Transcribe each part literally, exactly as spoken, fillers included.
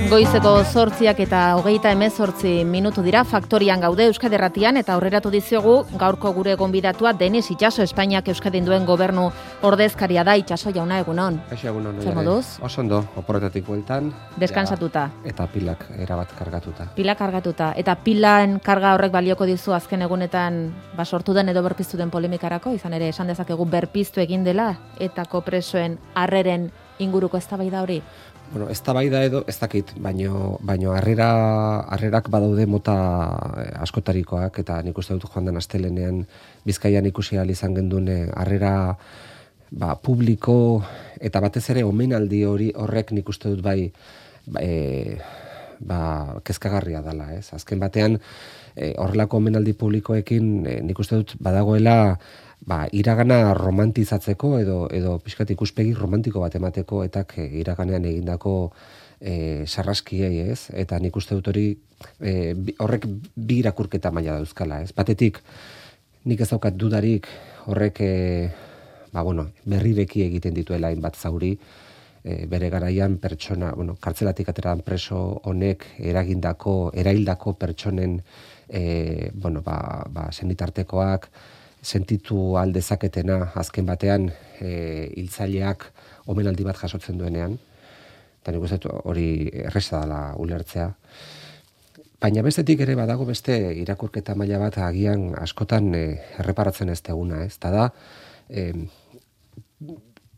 Goizeko zortziak eta hogeita hemezortzi minutu dira, Faktorian gaude Euskadi Erratian, eta aurreratu dizuegu gaurko gure gonbidatua Denis Itxaso, Espainiak Euskadin duen gobernu ordezkaria da. Itxaso jauna, egunon. Eixo egunon. Zer moduz? Oso ondo, oporretatik bueltan. Deskansatuta. Ja, eta pilak erabat kargatuta. Pilak kargatuta. Eta pilan karga horrek balioko dizu azken egunetan basortu den edo berpiztu den polemikarako, izan ere esan dezakegu berpiztu egin dela, etako presoen harreren inguruko eztabaida hori? Bueno, eztabaida edo ez dakit, baino baino harrera harrerak badaude mota askotarikoak, eta nik uste dut joan den astelenean Bizkaian ikusi ahal izan gendune harrera ba, publiko eta batez ere omenaldi hori horrek nik uste dut bai ba, e, ba kezkagarria dela, ez? Azken batean e, horrelako omenaldi publikoekin e, nik uste dut badagoela ba, iragana romantizatzeko edo edo pixkat ikuspegi romantiko bat emateko eta iraganean egindako e, sarraskiei, ez? Eta nik uste dut hori e, horrek bi irakurketa maila dauzkala, ez? Batetik nik ez daukat dudarik horrek e, ba, bueno, berrireki egiten dituela hainbat zauri, e, bere garaian pertsona, bueno, kartzelatik ateran preso honek eragindako, eraildako pertsonen e, bueno, ba, ba, senitartekoak sentitu aldezaketena azken batean e, hiltzaileak omenaldi bat jasotzen duenean, eta nik uste hori erresa dela ulertzea. Baina bestetik ere badago beste irakurketa maila bat agian askotan e, erreparatzen ez deguna, ez? Ta da, e,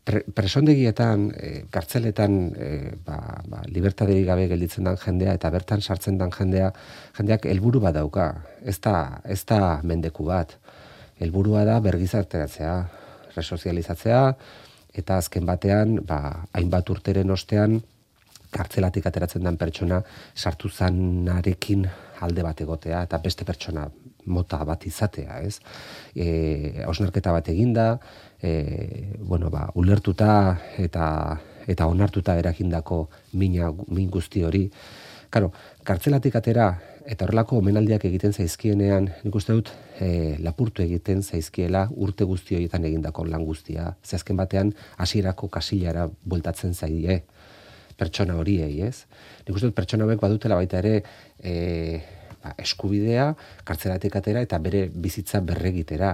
pre, presondegietan, e, kartzeletan e, ba, ba, libertaderik gabe gelditzen den jendea eta bertan sartzen den jendea, jendeak helburu bat dauka, ez da, ez da mendeku bat. Helburua da bergizarteratzea, resozializatzea, eta azken batean, ba, hainbat urteren ostean, kartzelatik ateratzen den pertsona sartu zanarekin alde bat egotea, eta beste pertsona mota bat izatea, ez? E, osnarketa bat eginda, e, bueno, ba, ulertuta eta eta onartuta eragindako mina, min guzti hori. Karo, kartzelatik atera eta horrelako omenaldiak egiten zaizkienean, nik uste dut e, lapurtu egiten zaizkiela urte guzti horietan egindako lan guztia. Ze azken batean hasierako kasilara bueltatzen zaie pertsona horiei, ez? Nik uste dut pertsona hauek badutela baita ere e, ba, eskubidea, kartzelatik atera eta bere bizitza berregitera.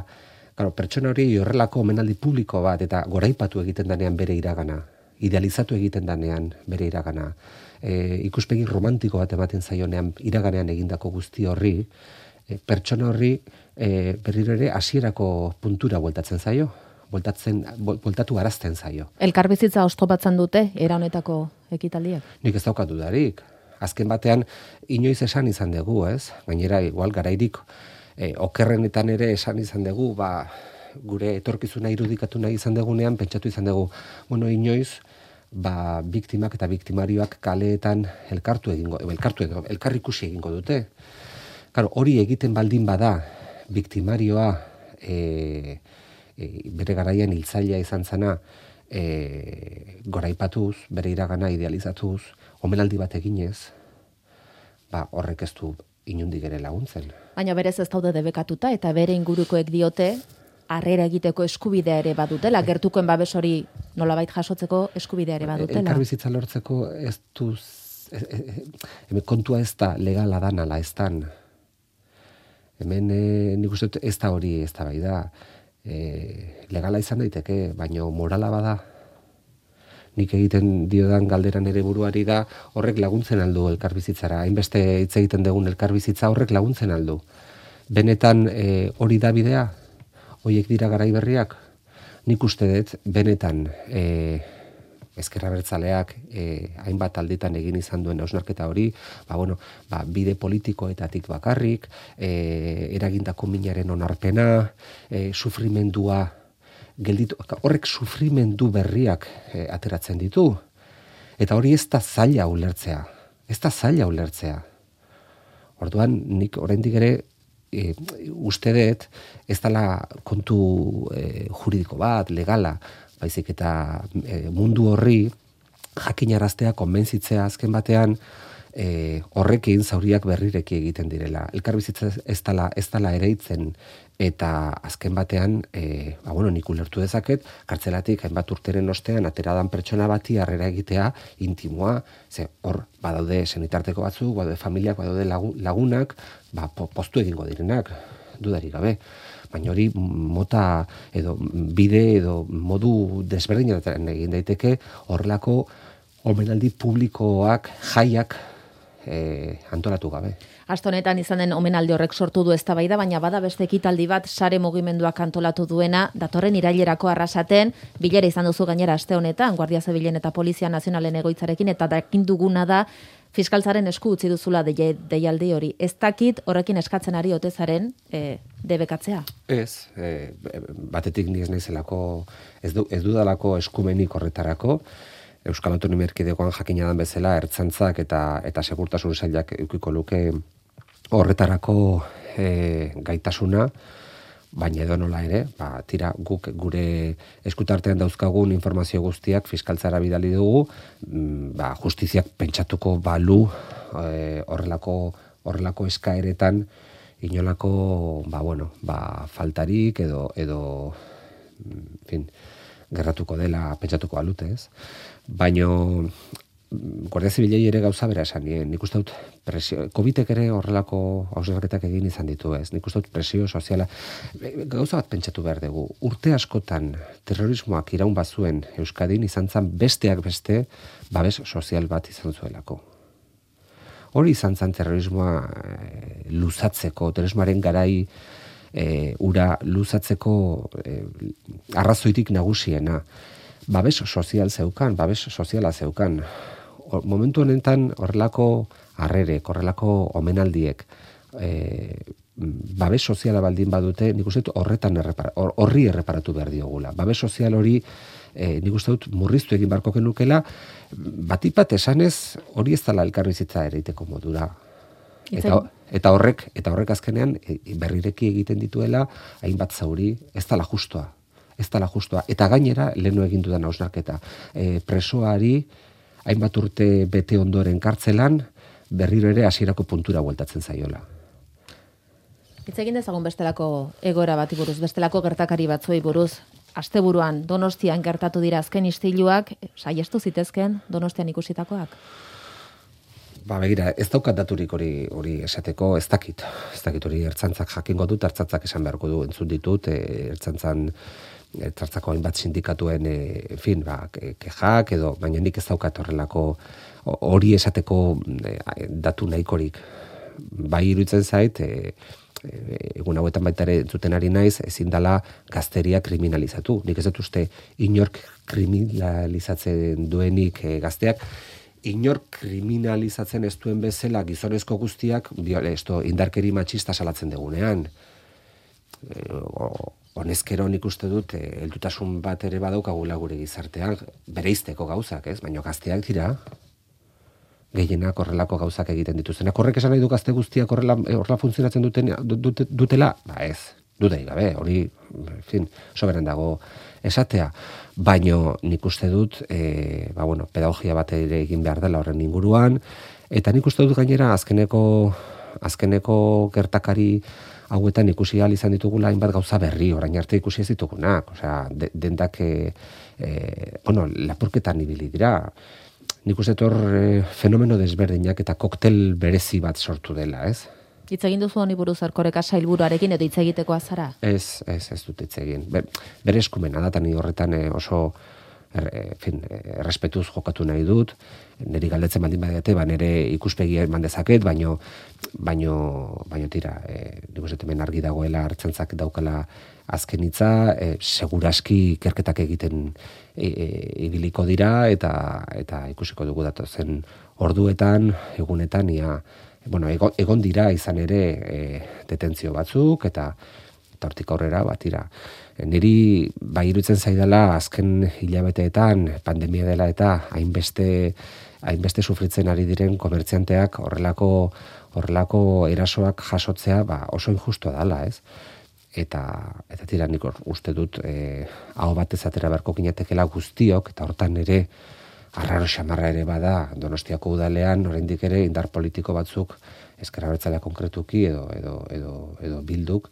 Claro, pertsona hori horrelako omenaldi publiko bat eta goraipatu egiten danean bere iragana, idealizatu egiten danean bere iragana. E, ikuspegi romantiko bat ematen zaionean iraganean egindako guzti horri, e, pertsona horri e, berriro ere hasierako puntura bueltatzen zaio, bueltatzen, bueltatu arazten zaio. Elkarbizitza oztopatzen dute era honetako ekitaldiak? Nik ez daukat dudarik. Azken batean inoiz esan izan dugu, ez? Gainera igual garairik e, okerrenetan ere esan izan dugu, ba, gure etorkizuna irudikatu nahi izan dugunean pentsatu izan dugu, bueno, inoiz ba, biktimak eta biktimarioak kaleetan elkartu egingo, elkartu edo, elkarrikusi egingo dute. Claro, hori egiten baldin bada, biktimarioa e, e, bere garaian hiltzailea izan zana e, goraipatuz, bere iragana idealizatuz, omenaldi bat eginez, ba, horrek ez du inundik ere laguntzen. Baina berez ez daude debekatuta eta bere ingurukoek diote, harrera egiteko eskubidea ere badutela, gertukoen babes hori nolabait jasotzeko eskubidea ere badutela. Elkarbizitza lortzeko ez du, hemen kontua ez da legala dan ala ez dan. Hemen e, nik uste ez da hori ez da bai da. E, legala izan daiteke, baina morala bada. Nik egiten diodan galderan ere buruari da horrek laguntzen aldu elkarbizitzara. Hainbeste hitz egiten dugun elkarbizitza horrek laguntzen aldu. Benetan e, hori da bidea? Hoiek dira garai berriak, nik uste dut benetan e, ezker abertzaleak e, hainbat alditan egin izan duen hausnarketa hori, ba, bueno, ba, bide politikoetatik bakarrik, e, eragindako minaren onarpena, e, sufrimendua, gelditu, horrek sufrimendu berriak e, ateratzen ditu. Eta hori ez da zaila ulertzea, ez da zaila ulertzea. Orduan, nik oraindik ere, E, uste dut ez dela kontu e, juridiko bat, legala, baizik eta e, mundu horri jakinaraztea, konbentzitzea azken batean e, horrekin zauriak berrireki egiten direla. Elkarbizitza ez dala, ez dala ereitzen, eta azken batean, e, ba, bueno, nik ulertu dezaket, kartzelatik hainbat urteren ostean ateradan pertsona bati harrera egitea intimoa, ze hor badaude senitarteko batzuk, badaude familiak, badaude lagunak, ba, poztu egingo direnak, dudarik gabe. Baina hori mota edo bide edo modu desberdinetan egin daiteke horrelako omenaldi publikoak, jaiak e, antolatu gabe. Aste honetan izan den omenaldi horrek sortu du eztabaida, baina bada beste ekitaldi bat sare mugimenduak antolatu duena, datorren irailerako Arrasaten, bilera izan duzu gainera aste honetan, Guardia Zibilen eta Polizia Nazionalen egoitzarekin, eta dakin duguna da fiskaltzaren esku utzi duzula deialdi hori. Ez dakit horrekin eskatzen ari ote zaren e, debekatzea? Ez, e, batetik ni ez naizelako, ez, du, ez dudalako eskumenik horretarako, Euskal Autonomia Erkidegoan jakina dan bezala ertzaintzak eta eta segurtasun sailak edukiko luke horretarako e, gaitasuna, baina edo nola ere, ba, tira guk gure eskutartean dauzkagun informazio guztiak fiskaltzara bidali dugu, ba, justiziak pentsatuko balu e, horrelako horrelako eskaeretan inolako ba, bueno, ba, faltarik edo edo en fin, gerratuko dela pentsatuko balute, ez? Baino Guardia Zibilei ere gauza bera esan, nik uste dut presio, Covidek ere horrelako hausnarketak egin izan ditu, ez? Nik uste dut presio soziala, gauza bat pentsatu behar dugu, urte askotan terrorismoak iraun bazuen Euskadin izan zan besteak beste babes sozial bat izan zuelako. Hori izan zan terrorismoa e, luzatzeko, terrorismoaren garai e, ura luzatzeko e, arrazoitik nagusiena. Babes sozial zeukan, babes soziala zeukan. O, momentu honetan horrelako harrerek, horrelako omenaldiek, e, babes soziala baldin badute, nik uste dut horretan errepara, horri erreparatu behar diogula. Babes sozial hori, e, nik uste dut murriztu egin barko genukela, batik bat esanez hori ez dela elkarbizitza ereiteko modura. Eta, eta horrek, eta horrek azkenean berrireki egiten dituela, hainbat zauri, ez dela justoa. Ez dela justoa. Eta gainera, lehenu egin dudan hausnarketa, e, presoari, hainbat urte bete ondoren kartzelan, berriro ere hasierako puntura bueltatzen zaiola. Hitz egin dezagun bestelako egoera bati buruz, bestelako gertakari batzuei buruz. Asteburuan Donostian gertatu dira azken istiluak, saiestu zitezken Donostian ikusitakoak? Ba, begira, ez daukat daturik hori hori esateko, ez dakit. Ez dakit hori ertzaintzak jakingo dut, ertzaintzak esan beharko du, entzun ditut, e, ertzaintzan ertzaintzako hainbat sindikatuen, e, en fin, ba, kexak edo, baina nik ez daukat horrelako hori esateko e, datu nahikorik. Bai iruditzen zait, e, e, egun hauetan baita ere entzuten ari naiz, ezin dela gazteria kriminalizatu. Nik ez dut uste inork kriminalizatzen duenik e, gazteak, inor kriminalizatzen ez duen bezala gizonezko guztiak esto, indarkeri matxista salatzen degunean. E, honezkero nik uste dut, e, heldutasun bat ere badaukagula gure gizartean, bereizteko gauzak, ez? Baina gazteak dira, gehienak horrelako gauzak egiten dituztenak. Horrek esan nahi du gazte guztiak horrela, horrela funtzionatzen duten, dut, dutela? Ba ez, dudai gabe, hori, en fin, soberan dago esatea. Baino nik uste dut, e, ba bueno, pedagogia bat ere egin behar dela horren inguruan, eta nik uste dut gainera azkeneko, azkeneko gertakari hauetan ikusi ahal izan ditugula hainbat gauza berri, orain arte ikusi ez ditugunak, osea, de, dendak, e, e, bueno, lapurketan ibili dira. Nik uste dut hor e, fenomeno desberdinak eta koktel berezi bat sortu dela, ez? Hitz egin duzu honi buruz Erkoreka sailburuarekin edo hitz egitekoa zara? Ez, ez, ez dut hitz egin. Be, bere eskumena da, eta ni horretan e, oso er, e, fin, errespetuz jokatu nahi dut, niri galdetzen baldin badiate, ba, nire ikuspegi eman dezaket, baino, baino, baino tira, e, nik uste hemen argi dagoela ertzaintzak daukala azken hitza, e, seguraski ikerketak egiten e, e, ibiliko dira, eta, eta ikusiko dugu datozen orduetan, egunetan, ia, bueno, egon, egon dira izan ere e, detentzio batzuk, eta eta hortik aurrera batira. Niri bai iruditzen zaidala azken hilabeteetan pandemia dela eta hainbeste hainbeste sufritzen ari diren komertzianteak horrelako horrelako erasoak jasotzea ba, oso injustua dela, ez? Eta eta tira nik uste dut eh aho batez atera beharko ginatekela guztiok eta hortan ere arraro xamarra ere bada Donostiako udalean oraindik ere indar politiko batzuk ezker abertzalea konkretuki edo edo edo edo Bilduk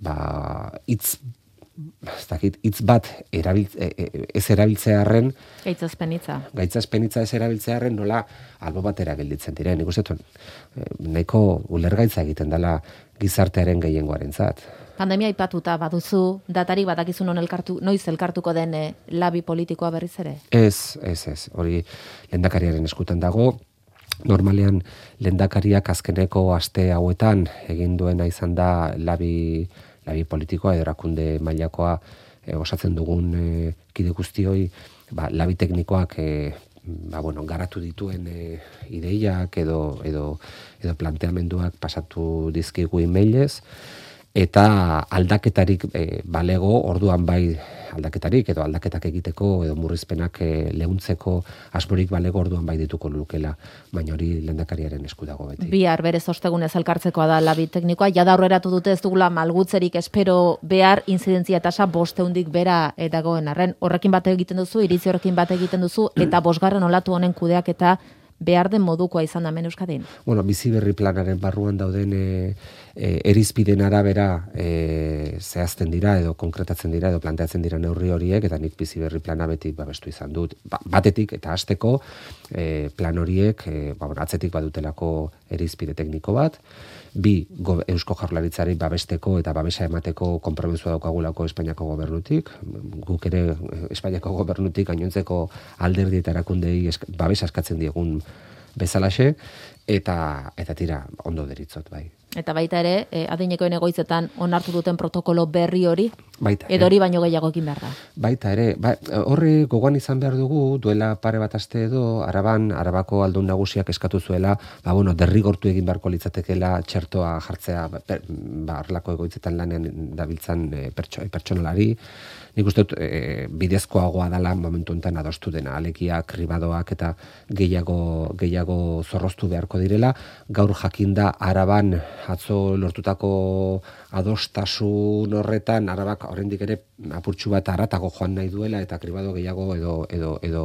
ba hitz ez dakit hitz bat erabiltze ez erabiltzearren gaitzazpenitza gaitzazpenitza ez erabiltzearren nola albo batera gelditzen diren. Nik uste dut nahiko ulergaitza egiten dela gizartearen gehiengoarentzat. Pandemia aipatuta baduzu datarik badakizun non elkartu noiz elkartuko den eh, labi politikoa berriz ere? Ez, ez, ez. Hori lehendakariaren eskutan dago. Normalean lehendakariak azkeneko aste hauetan egin duena izan da labi labi politikoa edo erakunde mailakoa e, osatzen dugun e, kide guztioi ba, labi teknikoak e, ba, bueno, garatu dituen e, ideiak edo, edo, edo planteamenduak pasatu dizkigu emailez eta aldaketarik e, balego orduan bai aldaketarik edo aldaketak egiteko edo murrizpenak e, leuntzeko asmorik balego orduan bai dituko lukela, baina hori lehendakariaren esku dago beti. Bihar berez ostegunez elkartzekoa da labi teknikoa, jada aurreratu dute ez dugula malgutzerik espero behar inzidentzia tasa bosteundik bera dagoen arren. Horrekin bat egiten duzu, iritzi horrekin bat egiten duzu, eta bosgarren olatu honen kudeak eta behar den modukoa izan da hemen Euskadin. Bueno, bizi berri planaren barruan dauden e, e, erizpiden arabera e, zehazten dira edo konkretatzen dira edo planteatzen dira neurri horiek eta nik bizi berri plana beti babestu izan dut. Ba, batetik eta hasteko e, plan horiek e, ba, atzetik badutelako erizpide tekniko bat, bi go, Eusko Jaurlaritzari babesteko eta babesa emateko konpromisoa daukagulako Espainiako gobernutik, guk ere Espainiako gobernutik gainontzeko alderdi eta erakundei esk, babesa eskatzen diegun bezalaxe, eta eta tira ondo deritzot bai. Eta baita ere, eh, adinekoen egoitzetan onartu duten protokolo berri hori, baita, edo hori baino gehiago ekin behar da. Baita ere, ba, horri gogoan izan behar dugu, duela pare bat aste edo, Araban, Arabako aldun nagusiak eskatu zuela, ba, bueno, derrigortu egin beharko litzatekela txertoa jartzea, ba, arlako egoitzetan lanean dabiltzan e, pertso, pertsonalari. Nik uste dut e, bidezkoagoa dela momentu honetan adostu dena, alekiak, kribadoak eta gehiago, gehiago zorroztu beharko direla. Gaur jakinda Araban atzo lortutako adostasun horretan Arabak oraindik ere apurtxu bat haratago joan nahi duela eta kribado gehiago edo edo edo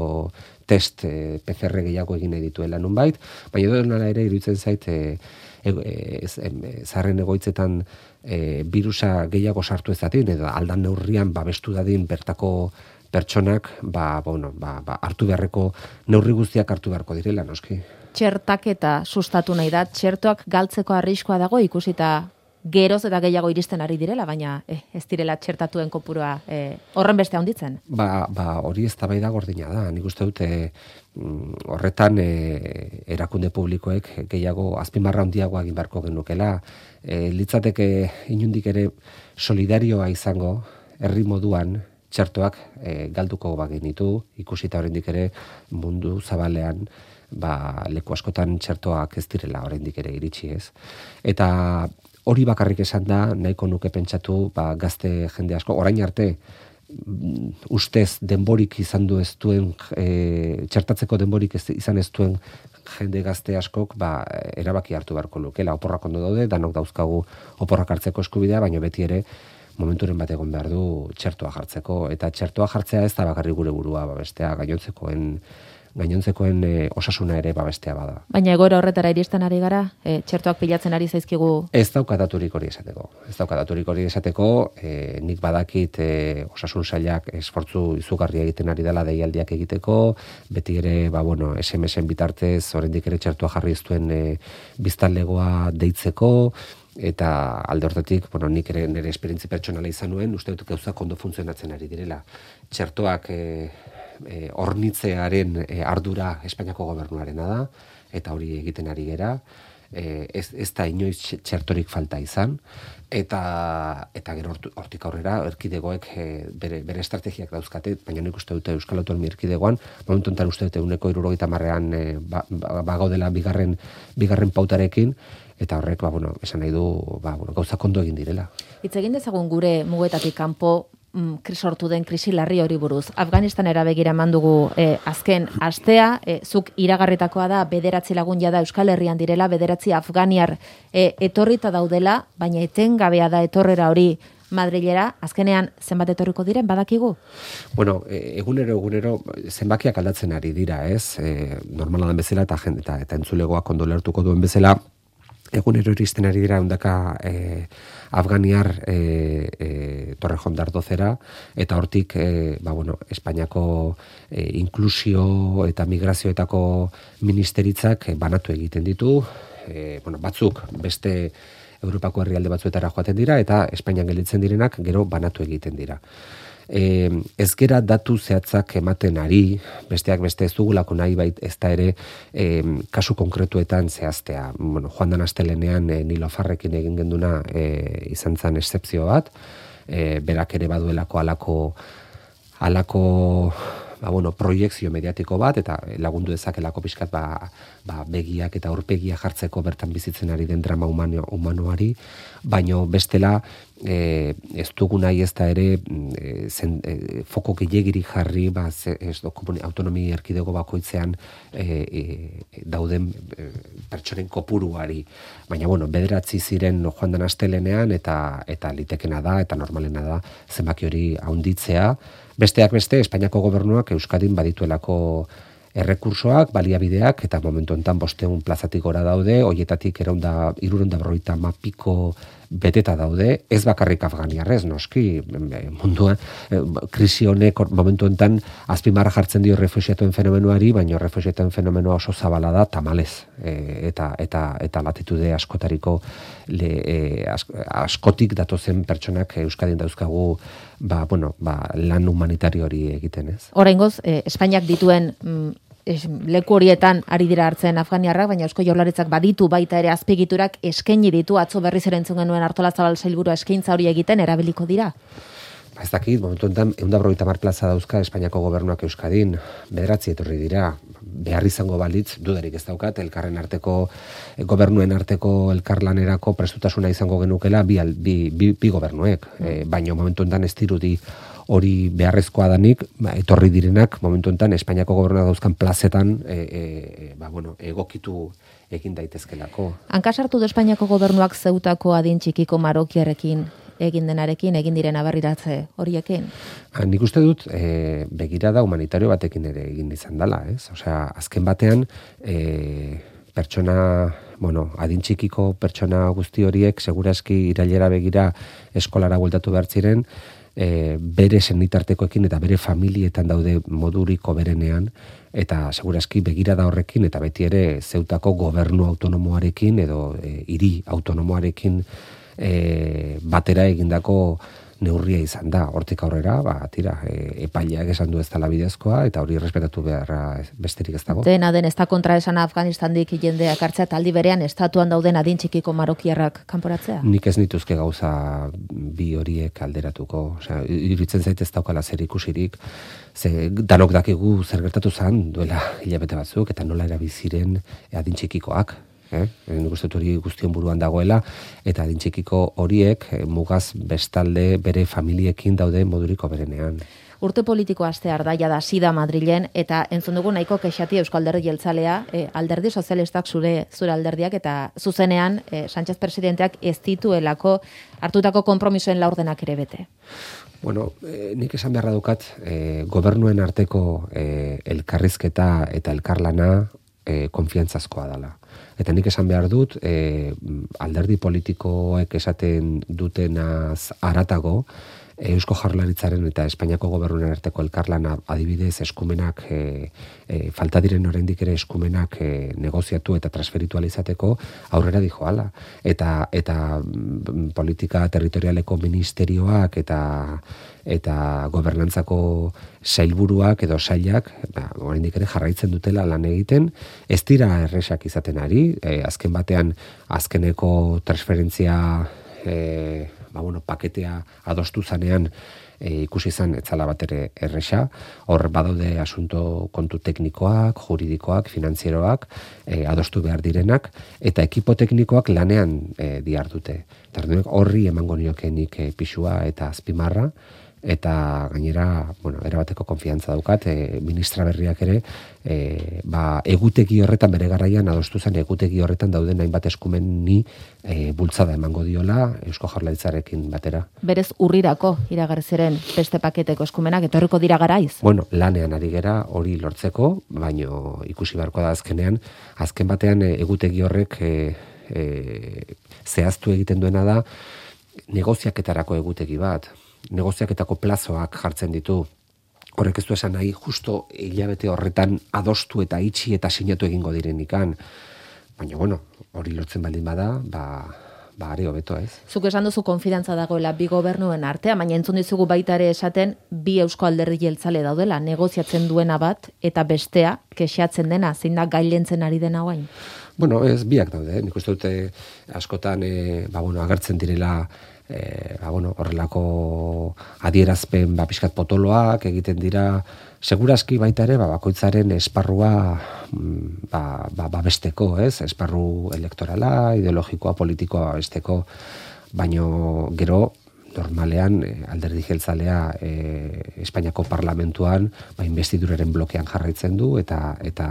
test e, P C R gehiago egin nahi dituela nunbait, baina edo nola ere iruditzen zait e, e, e, zarren egoitzetan e, virusa gehiago sartu ez dadin edo aldan neurrian babestu dadin bertako pertsonak ba, bueno, ba, ba, hartu beharreko neurri guztiak hartu beharko direla, noski. Txertaketa sustatu nahi da, txertoak galtzeko arriskoa dago ikusita geroz eta gehiago iristen ari direla, baina eh, ez direla txertatuen kopurua eh, horren beste handitzen. Ba, ba hori eztabaida gordina da. Nik uste dute horretan e, erakunde publikoek gehiago azpimarra handiagoa egin beharko genukela. E, litzateke inundik ere solidarioa izango herri moduan txertoak e, galduko bagenitu, ikusita oraindik ere mundu zabalean ba, leku askotan txertoak ez direla oraindik ere iritsi ez. Eta hori bakarrik esan da, nahiko nuke pentsatu, ba, gazte jende asko, orain arte, ustez denborik izan du ez duen, e, txertatzeko denborik ez, izan ez duen jende gazte askok, ba, erabaki hartu beharko lukela. Oporrak ondo daude, danok dauzkagu oporrak hartzeko eskubidea, baina beti ere momenturen bat egon behar du txertoa jartzeko. Eta txertoa jartzea ez da bakarrik gure burua, ba, bestea gainontzekoen gainontzekoen e, osasuna ere babestea bada. Baina egoera horretara iristen ari gara, e, txertoak pilatzen ari zaizkigu? Ez daukadaturik hori esateko. Ez daukadaturik hori esateko, e, nik badakit e, osasun sailak esfortzu izugarria egiten ari dela deialdiak egiteko, beti ere, ba, bueno, S M S-en bitartez, oraindik ere txertoa jarri ez duen e, biztanlegoa deitzeko, eta alde hortatik, bueno, nik ere nire esperientzi pertsonala izan nuen, uste dut gauzak ondo funtzionatzen ari direla. Txertoak e, E, hornitzearen e, ardura Espainiako gobernuarena da, eta hori egiten ari gera, e, ez, ez da inoiz txertorik falta izan, eta eta gero hortik aurrera erkidegoek e, bere, bere estrategiak dauzkate, baina nik uste dute Euskal Autonomia Erkidegoan, momentu enten uste dute uneko hirurogeita hamarrean e, ba, ba, bagaudela bigarren, bigarren pautarekin, eta horrek, ba, bueno, esan nahi du, ba, bueno, gauzak ondo egin direla. Hitz egin dezagun gure mugetatik kanpo sortu den krisi larri hori buruz. Afganistanera begira eman dugu eh, azken astea, eh, zuk iragarritakoa da bederatzi lagun jada Euskal Herrian direla, bederatzi afganiar eh, etorrita daudela, baina etengabea da etorrera hori Madrilera, azkenean zenbat etorriko diren badakigu? Bueno, egunero egunero zenbakiak aldatzen ari dira, ez? E, normala den bezala eta jende eta, eta entzulegoak ondo lertuko duen bezala, egunero iristen ari dira ondaka e, Afganiar e, e, Torrejon d'Ardozera, eta hortik e, ba, bueno, Espainiako e, inklusio eta migrazioetako ministeritzak e, banatu egiten ditu, e, bueno, batzuk beste Europako herrialde batzuetara joaten dira, eta Espainian gelditzen direnak gero banatu egiten dira. E, ez gera datu zehatzak ematen ari, besteak beste ez dugulako nahi bait ez da ere e, kasu konkretuetan zehaztea. Bueno, joan dan astelenean e, Nilo Farrekin egin genduna e, izan zen excepzio bat, e, berak ere baduelako alako, alako ba, bueno, proiekzio mediatiko bat, eta lagundu dezakelako pixkat ba, ba, begiak eta aurpegia jartzeko bertan bizitzen ari den drama humano, humanoari, baino bestela e, ez dugu nahi ez da ere e, zen, e, foko gehiagiri jarri ba, ze, ez do, autonomi erkidego bakoitzean e, e, dauden e, pertsonen kopuruari. Baina, bueno, bederatzi ziren joan den astelenean, eta, eta litekena da, eta normalena da zenbaki hori haunditzea. Besteak beste, Espainiako gobernuak Euskadin badituelako errekursoak, baliabideak, eta momentu enten bosteun plazatik gora daude, hoietatik eraunda, irurunda berroita mapiko beteta daude, ez bakarrik afganiarrez, noski, mundua, krisi honek momentu enten azpimarra jartzen dio refuxiatuen fenomenuari, baina refuxiatuen fenomenoa oso zabala da, tamalez, e, eta, eta, eta latitude askotariko le, e, ask, askotik datozen pertsonak Euskadin dauzkagu ba, bueno, ba, lan humanitario hori egiten, ez? Oraingoz, eh, Espainiak dituen mm, leku horietan ari dira hartzen afganiarrak, baina Eusko Jaurlaritzak baditu baita ere azpigiturak eskaini ditu, atzo berriz ere entzun genuen Artolazabal sailburua eskaintza hori egiten erabiliko dira. Ba, ez dakit, momentu enten, ehun eta berrogeita hamar plaza dauzka Espainiako gobernuak Euskadin, bederatzi etorri dira, behar izango balitz, dudarik ez daukat, elkarren arteko, gobernuen arteko elkarlanerako prestutasuna izango genukela bi, bi, bi, bi gobernuek, mm. e, baina momentu enten ez dirudi hori beharrezkoa danik, ba, etorri direnak, momentu enten, Espainiako gobernuak dauzkan plazetan, e, e, ba, bueno, egokitu egin daitezkelako. Hankasartu du Espainiako gobernuak Zeutako adin txikiko marokiarekin egin denarekin, egin diren abarriratze horiekin? Ha, nik uste dut, e, begirada humanitario batekin ere egin izan dela, ez? Osea, azken batean, e, pertsona, bueno, adin txikiko pertsona guzti horiek, segurazki irailera begira eskolara bueltatu behar ziren, e, bere senitartekoekin eta bere familietan daude moduriko berenean, eta segurazki begirada horrekin, eta beti ere Zeutako gobernu autonomoarekin edo e, hiri autonomoarekin E, batera egindako neurria izan da. Hortik aurrera, ba, tira, e, epaileak esan du ez dela bidezkoa, eta hori respetatu beharra besterik ez dago. Dena den, ez da kontra esan Afganistandik jendeak hartzea, taldi berean estatuan dauden adin txikiko marokiarrak kanporatzea? Nik ez nituzke gauza bi horiek alderatuko. Osea, iruditzen zait ez daukala zer ikusirik, ze danok dakigu zer gertatu zen duela hilabete batzuk, eta nola erabiziren adin txikikoak. Eh? Nik uste hori guztion buruan dagoela, eta adin txikiko horiek eh, mugaz bestalde bere familiekin daude moduriko berenean. Urte politiko astear da, jada sida Madrilen, eta entzun dugu nahiko kexati Euskal Alderdi Jeltzalea, eh, alderdi sozialistak zure zure alderdiak, eta zuzenean eh, Sánchez presidenteak ez dituelako hartutako konpromisoen laurdenak ere bete. Bueno, eh, nik esan beharra dukat, eh, gobernuen arteko eh, elkarrizketa eta elkarlana eh, konfiantzazkoa dela. Eta nik esan behar dut, e, alderdi politikoek esaten dutenaz aratago, Eusko Jaurlaritzaren eta Espainiako gobernuen arteko elkarlana adibidez eskumenak, e, e, falta diren oraindik ere eskumenak e, negoziatu eta transferitu izateko aurrera dijoala. Eta, eta politika territorialeko ministerioak eta eta gobernantzako sailburuak edo sailak, ba, oraindik ere jarraitzen dutela lan egiten, ez dira erresak izaten ari, e, azken batean azkeneko transferentzia e, ba, bueno, paketea adostu zanean e, ikusi izan etzala bat ere erresa, hor badaude asunto kontu teknikoak, juridikoak, finanzieroak, e, adostu behar direnak, eta ekipo teknikoak lanean e, dihardute. Horri emango niokenik e, pixua eta azpimarra, eta gainera, bueno, erabateko konfiantza daukat, e, ministra berriak ere, e, ba, egutegi horretan bere garaian adostu zen egutegi horretan dauden hainbat eskumeni e, bultzada emango diola Eusko Jaurlaritzarekin batera. Berez urrirako iragarri ziren beste paketeko eskumenak etorriko dira garaiz. Bueno, lanean ari gera hori lortzeko, baino ikusi beharko da azkenean, azken batean e, egutegi horrek e, e, zehaztu egiten duena da negoziaketarako egutegi bat. Negoziaketako plazoak jartzen ditu. Horrek ez du esan nahi, justo hilabete horretan adostu eta itxi eta sinatu egingo direnikan. Baina, bueno, hori lortzen baldin bada, ba, ba are hobeto ez. Zuk esan duzu konfidantza dagoela bi gobernuen artea, baina entzun dizugu baita ere esaten bi Eusko Alderdi Jeltzale daudela, negoziatzen duena bat eta bestea kexatzen dena, zein da gailentzen ari dena guain? Bueno, ez biak daude, nik uste dute askotan e, ba, bueno, agertzen direla E, ba, bueno, horrelako adierazpen ba, pixkat potoloak egiten dira, segurazki baita ere ba, bakoitzaren esparrua ba, ba, babesteko, ez? Esparru elektorala, ideologikoa, politikoa babesteko, baino gero normalean e, Alderdi Jeltzalea e, Espainiako parlamentuan ba, investiduraren blokean jarraitzen du eta eta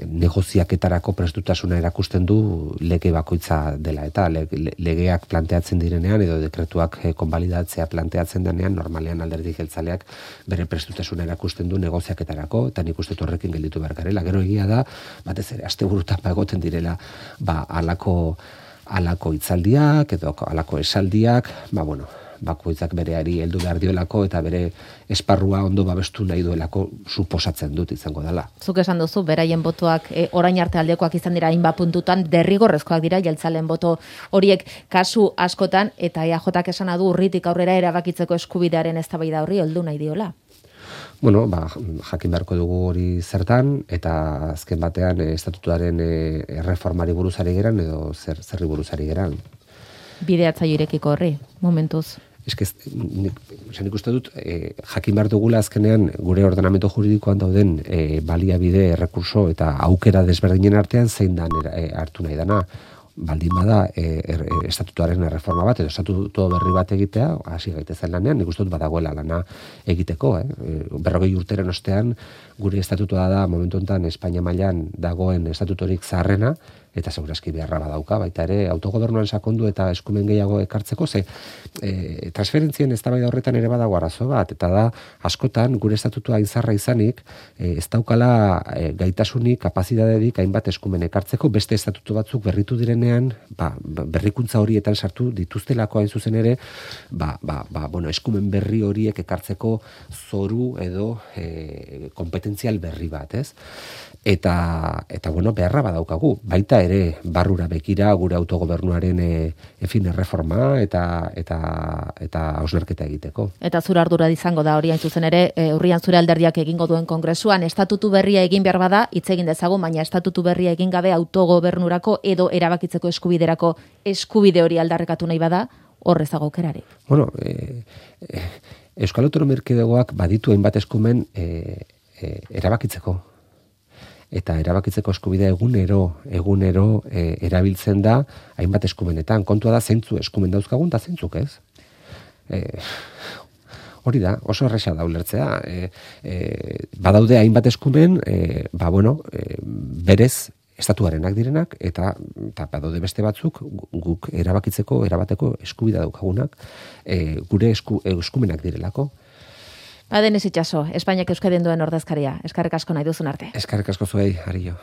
negoziaketarako prestutasuna erakusten du lege bakoitza dela eta le, le, legeak planteatzen direnean edo dekretuak e, konbalidatzea planteatzen denean normalean Alderdi Jeltzaleak bere prestutasuna erakusten du negoziaketarako eta nik uste horrekin gelditu behar garela. Gero egia da, batez ere asteburutan ba egoten direla ba halako halako hitzaldiak edo halako esaldiak, ba bueno, bakoitzak bereari heldu behar diolako eta bere esparrua ondo babestu nahi duelako suposatzen dut izango dela. Zuk esan duzu, beraien botoak e, orain arte aldekoak izan dira hainbat puntutan, derrigorrezkoak dira jeltzaleen boto horiek kasu askotan, eta E A Jak esana du urritik aurrera erabakitzeko eskubidearen eztabaida horri heldu nahi diola. Bueno, ba, jakin beharko dugu hori zertan, eta azken batean e, estatutuaren e, erreformari buruzari geran edo zer, zerri buruzari geran. Bideatzaile irekiko horri, momentuz. Eske nik, nik uste dut e, jakin behar dugula azkenean gure ordenamendu juridikoan dauden e, baliabide, errekurso eta aukera desberdinen artean zein dan e, hartu nahi dana. Baldin bada e, er, estatutuaren erreforma bat edo estatutu berri bat egitea, hasi gaitezen lanean, nik uste dut badagoela lana egiteko. Eh? Berrogei urteren ostean gure estatutua da momentu honetan Espainia mailan dagoen estatutorik zaharrena, eta segurazki beharra badauka, baita ere autogobernuan sakondu eta eskumen gehiago ekartzeko, ze e, transferentzien eztabaida horretan ere badago arazo bat, eta da askotan gure estatutua izarra izanik, e, ez daukala e, gaitasunik, kapazitaterik hainbat eskumen ekartzeko, beste estatutu batzuk berritu direnean, ba, berrikuntza horietan sartu dituztelako hain zuzen ere, ba, ba, ba, bueno, eskumen berri horiek ekartzeko zoru edo e, kompetentzial berri bat, ez? Eta, eta bueno, beharra badaukagu, baita ere barrura bekira gure autogobernuaren e, efin erreforma eta eta eta hausnarketa egiteko. Eta zure ardura izango da hori hain zuzen ere, e, urrian zure alderdiak egingo duen kongresuan, estatutu berria egin behar bada, hitz egin dezagun, baina estatutu berria egin gabe autogobernurako edo erabakitzeko eskubiderako eskubide hori aldarrekatu nahi bada, horrezago aukerari. Bueno, e, e, Euskal Autonomia Erkidegoak baditu hainbat eskumen e, e, erabakitzeko. Eta erabakitzeko eskubidea egunero, egunero e, erabiltzen da hainbat eskumenetan. Kontua da zeintzu eskumen dauzkagun da zeintzuk ez. E, hori da, oso erresa da ulertzea. E, e, badaude hainbat eskumen, e, ba bueno, e, berez estatuarenak direnak, eta, eta badaude beste batzuk guk erabakitzeko, erabateko eskubidea daukagunak, e, gure esku, eskumenak direlako. Ba, Denis Itxaso, Espainiak Euskadin duen ordezkaria. Eskerrik asko nahi duzun arte. Eskerrik asko zuei, Arillo.